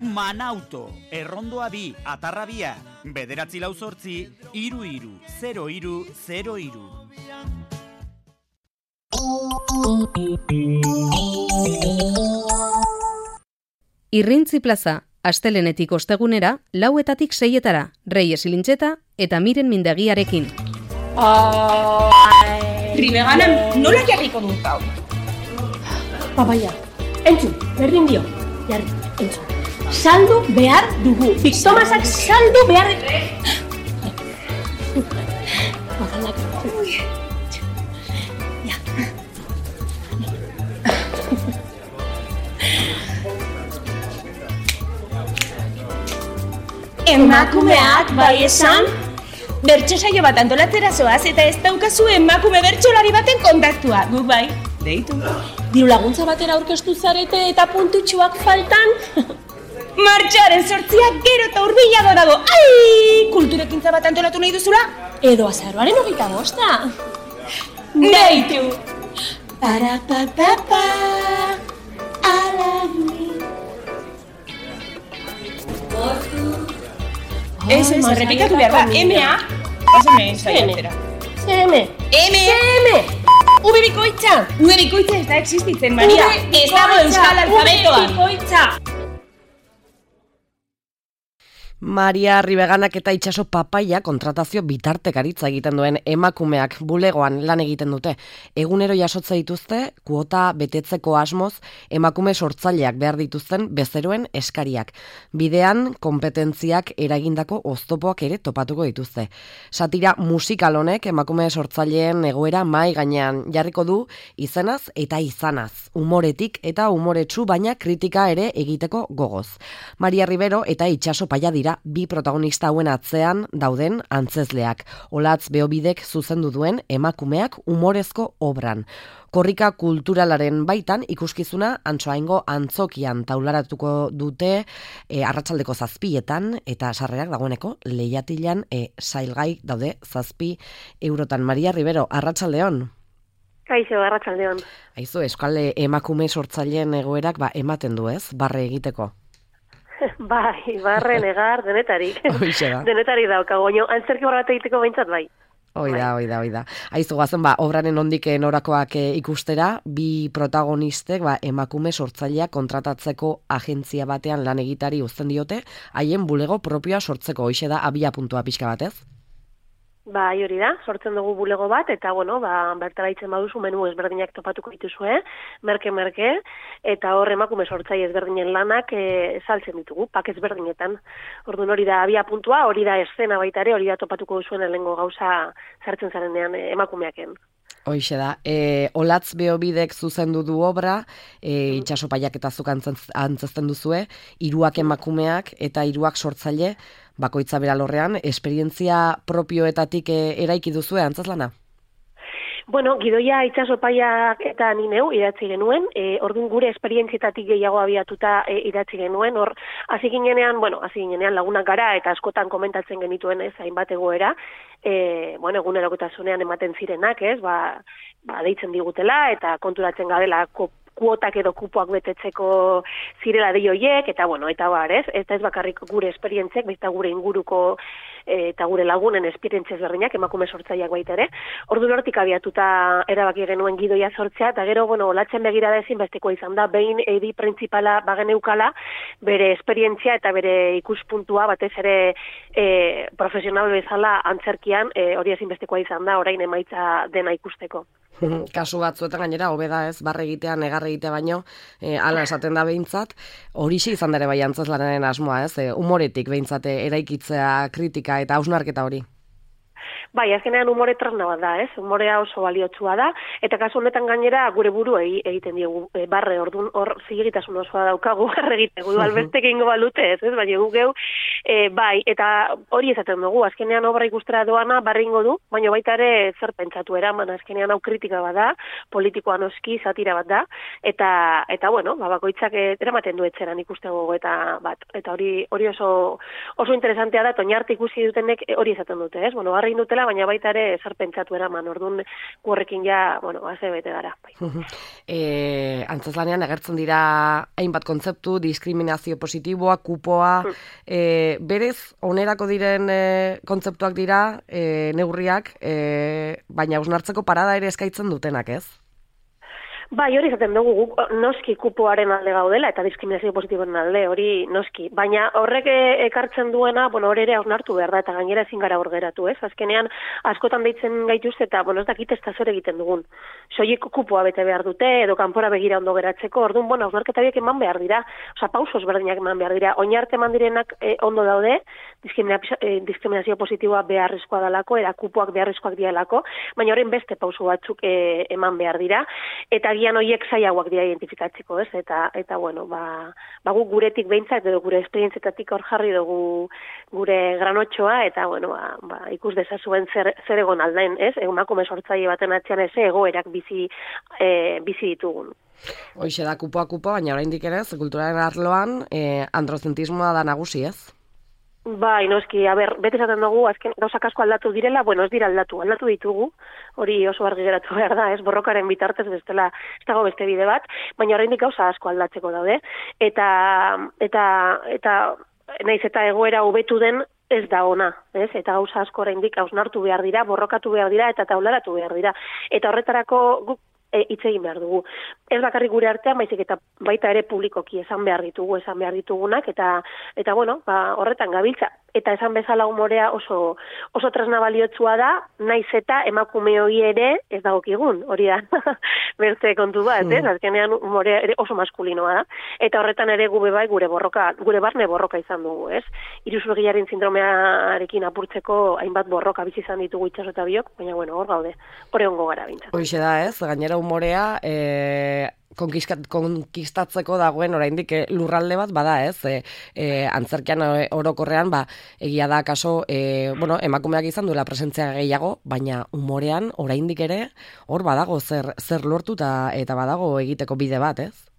Manauto, Errondoa 2, Atarra 2, 9 8 33 0303. Irrintzi plaza, astelenetik ostegunera, 4etatik 6etara, Reyes Ilintxeta eta Miren Mindegiarekin. Ribeganan nola jarriko dut hau? Papaia, entzun, berdin dio, jarri, entzun. Saldu behar dugu, Tomasak saldu behar dugu. Bakalak, ja. Emakumeak bai esan? Bertso saio bat antolatzera zoaz eta ez daukazu emakume bertsolari baten kontaktua. Guk bai, deitu. Diru laguntza batera aurkeztu zarete eta puntutxuak faltan? Martxoaren 8 gero eta hurbilago dago. Ai! Kulturekintza bat antolatu nahi duzula? Edo azaroaren 25. Deitu! Parapapapa, alagui. Ez, errepikatu behar da. M.A. Pásame saiatzera. CM. V bikoitza ez da existitzen, Maria. Ez dago euskal alfabetoan. V bikoitza. Maria Ribeganak eta Itxaso Papaia kontratazio bitartekaritza egiten duen emakumeak bulegoan lan egiten dute. Egunero jasotze dituzte, kuota betetzeko asmoz, emakume sortzaileak behar dituzten bezeroen eskariak. Bidean, konpetentziak eragindako oztopoak ere topatuko dituzte. Satira musikal honek emakume sortzaileen egoera mai gainean jarriko du izenaz eta izanaz. Umoretik eta umoretsu baina kritika ere egiteko gogoz. Maria Ribero eta Itxaso Paia dira bi protagonista hauen atzean dauden antzezleak. Olatz Beobidek zuzendu duen emakumeak umorezko obran. Korrika kulturalaren baitan ikuskizuna Antsoaingo antzokian taularatuko dute arratsaldeko 7etan eta sarrerak dagoeneko Leiatilan sailgai daude 7 eurotan. Maria Ribero, arratsaldeon. Kaixo, arratsaldeon. Aizu, euskal emakume sortzaileen egoerak ematen du, ez? Barre egiteko. Bai, barre negar denetarik. Denetarik daukago, antzerki bat egiteko behintzat bai. Oida. Aizu gazen, obraren ondik norakoak ikustera, bi protagonistek emakume sortzaileak kontratatzeko agentzia batean lan egitari uzten diote, haien bulego propioa sortzeko, hoixe da abia puntua pixka batez? Bai, hori da, sortzen dugu bulego bat, eta bertara itzen baduzu menu ezberdinak topatuko dituzue, merke, eta hor emakume sortzaile ezberdinen lanak saltzen ditugu, pak ezberdinetan. Orduan hori da abia puntua, hori da eszena baita ere, hori da topatuko duzuen lehengo gauza sartzen zarenean emakumeaken. Hoixe da, Olatz Beobidek zuzendu du obra, Itxaso Paiak eta zuk antzezten duzue, 3 emakumeak eta 3 sortzaile, bakoitza bera lorrean, esperientzia propioetatik eraiki duzue antzezlana? Bueno, gidoia Itxaso Paiak eta ni neu idatzi genuen, orduan gure esperientzietatik gehiago abiatuta idatzi genuen, hor hasi ginenean lagunak gara eta askotan komentatzen genituen ez, hainbat egoera, egunerokotasunean ematen zirenak, ez, deitzen digutela eta konturatzen gabela kuotak edo kupoak betetzeko zirela dei hoiek, eta ez? Eta ez bakarrik gure esperientziak, baita gure inguruko eta gure lagunen esperientziaz berdinak, emakume sortzaileak baita ere. Ordu hortik abiatuta erabaki genuen gidoia sortzea, eta gero, Olatzen begirada ezin bestekoa izan da, behin edi printzipala bageneukala, bere esperientzia eta bere ikuspuntua, batez ere profesional bezala antzerkian, hori ezin bestekoa izan da, orain emaitza dena ikusteko. Kasu batzuetan gainera, hobeda ez, barre egitea, negar egitea baino, ala esaten da behintzat, horixe izan dere bai antzezlanaren asmoa, ez, umoretik behintzat eraikitzea, kritika eta hausnarketa hori. Bai, azkenean umore tresna bat da, ez? Umorea oso baliotsua da, eta kasu honetan gainera gure buruei egiten diegu barre, orduan hor zilegitasun osoa daukagu barre egiteko, albestek egingo balute, ez? Baina gu geu Bai, eta hori esaten dugu, azkenean obra ikustera doana barringo du, baina baita ere zer pentsatu eraman, azkenean hau kritika bat da, politikoa noski, satira bat da, eta bueno, bakoitzak eramaten du etzeran ikuste gogo eta hori oso interesantea da, oinarte ikusi dutenek hori esaten dute, ez? Bueno, barrin dutela, baina baita ere zer pentsatu eraman, orduan horrekin ja, bueno, aze bete gara. Antzezlanean agertzen dira hainbat kontzeptu, diskriminazio positiboa, kupoa, berez, onerako diren kontzeptuak dira, neurriak, baina hausnartzeko parada ere eskaintzen dutenak, ez? Bai, hori izaten dugu, noski kupoaren alde gaudela eta diskriminazio positiboaren alde, hori noski. Baina horrek ekartzen duena, bueno, hori ere hausnartu behar da, eta gainera ezin gara hor geratu, ez? Azkenean, askotan deitzen gaituzte eta, bueno, ez dakit ez da zer egiten dugun. Soilik kupoa bete behar dute, edo kanpora begira ondo geratzeko, orduan, bueno, hausnarketa biek eman behar dira, oza, pausos berdinak eman behar dira, oinarte eman direnak ondo daude, diskriminazio positiboa beharrezkoa dalako, era kupoak beharrezkoak dialako, baina horren beste pauso batzuk eman behar dira, eta gian horiek zailagoak dira identifikatzeko, ez? Eta bueno, guk guretik behintzat edo gure esperientzietatik hor jarri dugu gure granotxoa eta bueno, ikus dezazuen zer egon aldain, ez? Emakume sortzaile baten atzean ez egoerak bizi ditugun. Hoixe da kupoa, baina oraindik ere kulturaren arloan androzentismoa da nagusi, ez? Bai, noski, bete esaten dugu, azken gauzak asko aldatu direla, bueno, ez dira aldatu ditugu, hori oso argi geratu behar da, ez borrokaren bitartez bestela, ez dago beste bide bat, baina oraindik gauza asko aldatzeko daude, eta naiz eta egoera hobetu den ez da ona, ez? Eta gauza asko oraindik hausnartu behar dira, borrokatu behar dira, eta taularatu behar dira, eta horretarako guk hitz egin behar dugu. Ez bakarrik gure artean, baizik eta baita ere publikoki esan behar ditugunak, eta bueno, horretan gabiltza. Eta esan bezala umorea oso tresna baliotsua da, naiz eta emakume hori ere ez dagokigun, hori da, beste kontu bat, ez? Azkenean umorea ere oso maskulinoa da, eta horretan ere gure barne borroka izan dugu, ez? Iruzurgilaren sindromearekin apurtzeko hainbat borroka bizi izan ditugu itxaso eta biok, baina bueno, hor gaude, hori ongo gara bintzat. Hoixe da, ez? Gainera umorea konkistatzeko dagoen oraindik lurralde bat bada, ez? Antzerkian orokorrean, egia da kaso, emakumeak izan duela presentzia gehiago, baina umorean oraindik ere hor badago zer lortu eta badago egiteko bide bat, ez?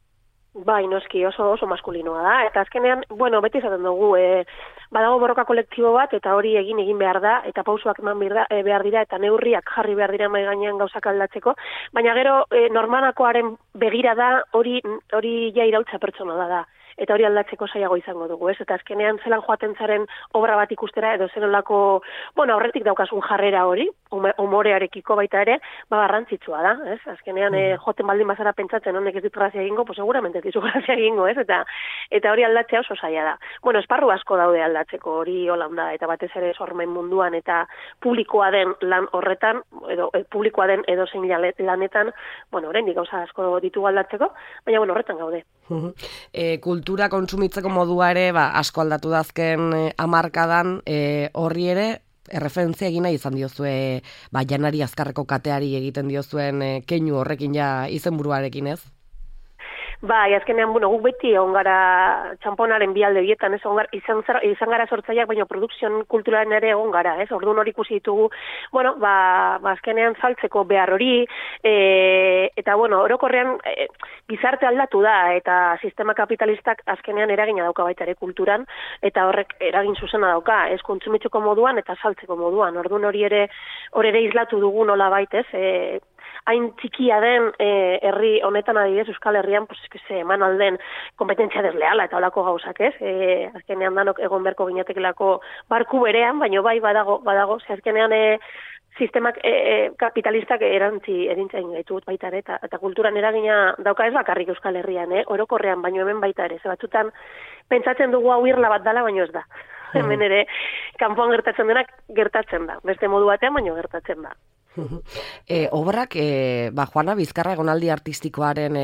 Bai, noski, oso maskulinoa da, eta azkenean, bueno, beti izaten dugu, badago borroka kolektibo bat, eta hori egin behar da, eta pausuak eman behar dira, eta neurriak jarri behar dira mai gainean gauzak aldatzeko, baina gero normanakoaren begira da, hori ja iraultza pertsona da. Eta hori aldatzeko zailago izango dugu, ez? Eta azkenean zelan joaten zaren obra bat ikustera, edo zenolako, bueno, horretik daukasun jarrera hori, umorearekiko baita ere, garrantzitsua da, ez? Azkenean joten baldin bazara pentsatzen honek ez dit grazia egingo, pues seguramente ez dizu grazia egingo, ez? Eta hori aldatzea oso zaila da. Bueno, esparru asko daude aldatzeko, hori holanda, eta batez ere sormen munduan, eta publikoa den lan horretan, edo publikoa den edozein lanetan, bueno, oraindik gauza asko ditugu aldatzeko, baina bueno, horretan gaude. Kultura kontsumitzeko modua ere asko aldatu da azken hamarkadan, horri ere erreferentzia egina izan diozue Janari Azkarreko kateari egiten diozuen keinu horrekin ja izenburuarekin, ez? Bai, azkenean, bueno, guk beti egon gara txamponaren bialde bietan, ez, izan gara sortzaileak, baina produkzion kulturalen ere egon gara, ez, orduan hori ikusi ditugu, bueno, azkenean saltzeko behar hori, eta, bueno, orokorrean gizarte aldatu da, eta sistema kapitalistak azkenean eragina dauka baita ere kulturan, eta horrek eragin zuzena dauka, ez, kontsumitzeko moduan eta saltzeko moduan, orduan hori ere islatu dugu nola baitez, hain txikia den herri honetan adibidez Euskal Herrian, pues se eman alden kompetentzia desleala eta holako gauzak, ez? Azkenean danok egon berko ginetekelako barku berean, baina bai badago, ze azkenean sistemak kapitalistak erintzen gaitut baita ere, eta kulturan eragina dauka ez bakarrik Euskal Herrian, orokorrean, baino hemen baita ere, ze batzutan pentsatzen dugu hau irla bat dala, baino ez da. Hemen ere, kanpoan gertatzen denak gertatzen da, beste modu batean, baino gertatzen da. Obrak, Juana Bizkarra egonaldi artistikoaren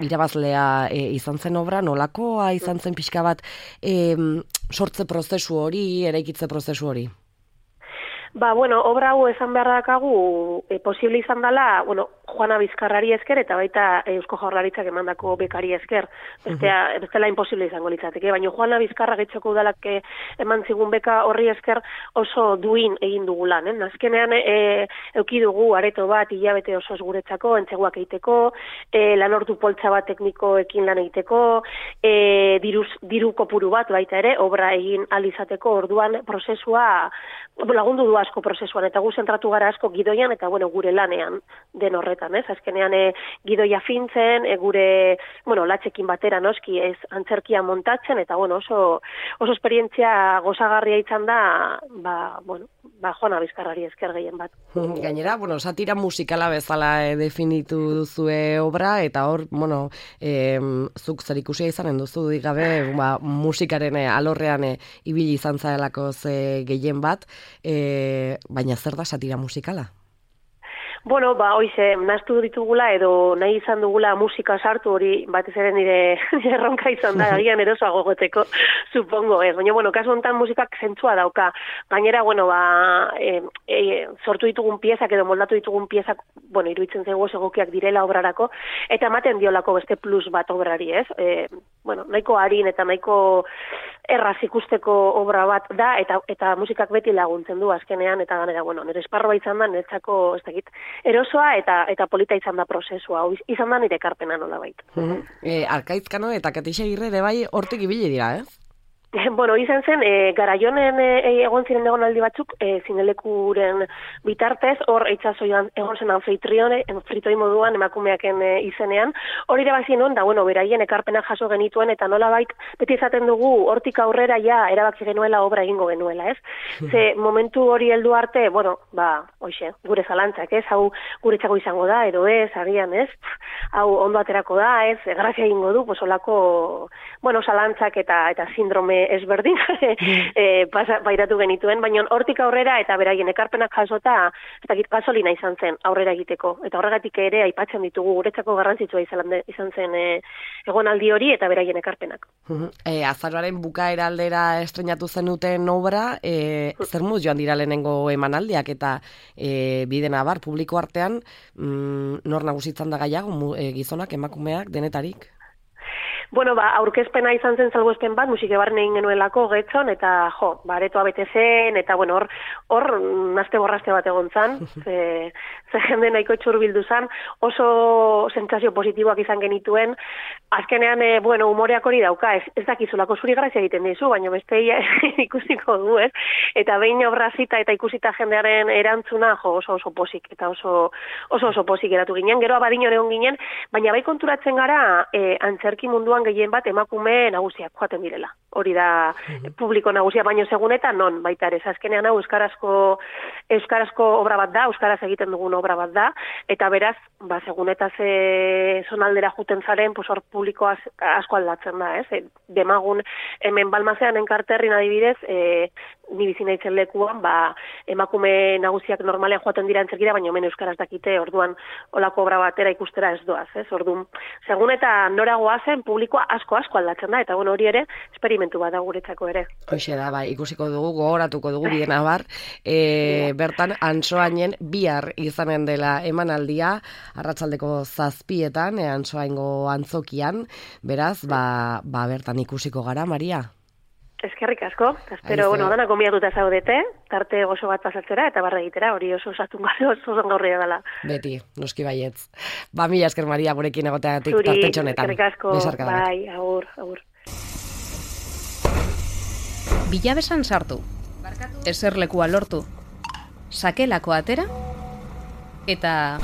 irabazlea izan zen obra, nolakoa izan zen pixka bat sortze prozesu hori, eraikitze prozesu hori? Bueno, obra hau esan behar dakagu, posible izan dela, Juana Bizkarrari esker eta baita Eusko Jaurlaritzak emandako bekari esker. Bestela imposible izango litzateke, baina Juana Bizkarra Getxoko Udalak eman zigun beka horri esker oso duin egin dugu lan. Azkenean euki dugu areto bat hilabete osoz guretzako, entzeguak egiteko, lanordu poltsa bat teknikoekin lan egiteko, diru kopuru bat baita ere, obra egin alizateko orduan prozesua lagundu du asko prozesuan, eta gu zentratu gara asko gidoian eta gure lanean den horretan, azkenean gidoia fintzen, gure, latxekin batera noski, ez antzerkia montatzen, eta oso esperientzia gozagarria izan da, Juana Bizkarrari esker gehien bat. Gainera, satira musikala bezala definitu duzue obra, eta hor, zuk zer ikusia izanen duzu, digabe, musikaren alorrean ibili izan zaelako ze gehien bat, baina zer da satira musikala? Hoize, naztu ditugula edo nahi izan dugula musika sartu hori batez ere nire erronka izan da, agian erosoago goteko, supongo ez. Baina, kasu honetan musikak zentzua dauka. Gainera, sortu ditugun piezak edo moldatu ditugun piezak, iruditzen zego egokiak direla obrarako, eta ematen diolako beste plus bat obrari, ez? Nahiko harin eta nahiko erraz ikusteko obra bat da, eta musikak beti laguntzen du azkenean, eta ganera, nire esparroa izan da, niretzako, ez dakit, erosoa eta polita izan da prozesua, izan da nire ekarpena nola baita. Arkaizkano eta Katixa Agirre ere bai hortik ibili dira, ez? Izan zen, Garaionen egon ziren egonaldi batzuk, zinelekuren bitartez, hor itxasoian egon zen anfitritoi moduan emakumeaken izenean, hori ere bazien onda, beraien ekarpenak jaso genituen, eta nola bait, beti izaten dugu, hortik aurrera ja erabaki genuela obra egingo genuela, ez? Ze momentu hori heldu arte, hoxe, gure zalantzak, ez? Hau guretzako izango da, edo ez, agian, ez? Hau ondo aterako da, ez? Grazia egingo du, olako, zalantzak eta sindrome ezberdin bairatu genituen, baina hortik aurrera eta beraien ekarpenak jasota, ez dakit gasolina izan zen aurrera egiteko, eta horregatik ere aipatzen ditugu guretzako garrantzitsua izan zen egonaldi hori eta beraien ekarpenak. Azaroaren bukaera aldera estrenatu zenuten obra, zer muz joan dira lehenengo emanaldiak eta bide nabar publiko artean, nor nagusitzen da gaiago, gizonak, emakumeak, denetarik? Aurkezpena izan zen salbuespen bat, musike barren egin genuelako Getxon, eta aretoa bete zen, eta hor nazte borraste bat egon zan, ze jende nahiko txurbildu zan, oso sentsazio positiboak izan genituen, azkenean, umoreak hori dauka, ez dakizulako zuri grazia egiten dizu, baina beste ikusiko du, ez? Eta behin obra zita eta ikusita jendearen erantzuna, oso posik, eta oso posik eratu ginen, gero abadino egon ginen, baina bai konturatzen gara, antzerki munduan gehien bat emakume nagusiak joaten direla. Hori da publiko nagusia, baino segunetan non baita ere. Azkenean hau euskarazko obra bat da, euskaraz egiten dugun obra bat da, eta beraz, segunetaz zonaldera juten zaren, hor publiko asko aldatzen da, ez? Demagun hemen Balmazean enkarterrin adibidez, ni bizi naizen lekuan, emakume nagusiak normalean joaten dira antzerkira, baina hemen euskaraz dakite, orduan olako obra batera ikustera ez doaz, ez? Orduan, segun eta noragoa zen, publikoa asko aldatzen da, eta hori ere, esperimentu bat da guretzako ere. Hoxe da, ikusiko dugu, gogoratuko dugu bide nabar, bertan, Antsoainen bihar izanen dela emanaldia, arratsaldeko 7:00, Antsoaingo antzokian, beraz, bertan ikusiko gara, Maria? Eskerrik asko, espero, dana konbiatuta zaudete, tarte gozo bat pasatzera eta barra egitera, hori oso osatun gara, oso zongaurria dela. Beti, noski baietz. Mila esker, Maria, gurekin egoteatik tarte txonetan. Eskerrik asko, bai, agur. Bilabesan sartu, eserlekua lortu, sakelako atera, eta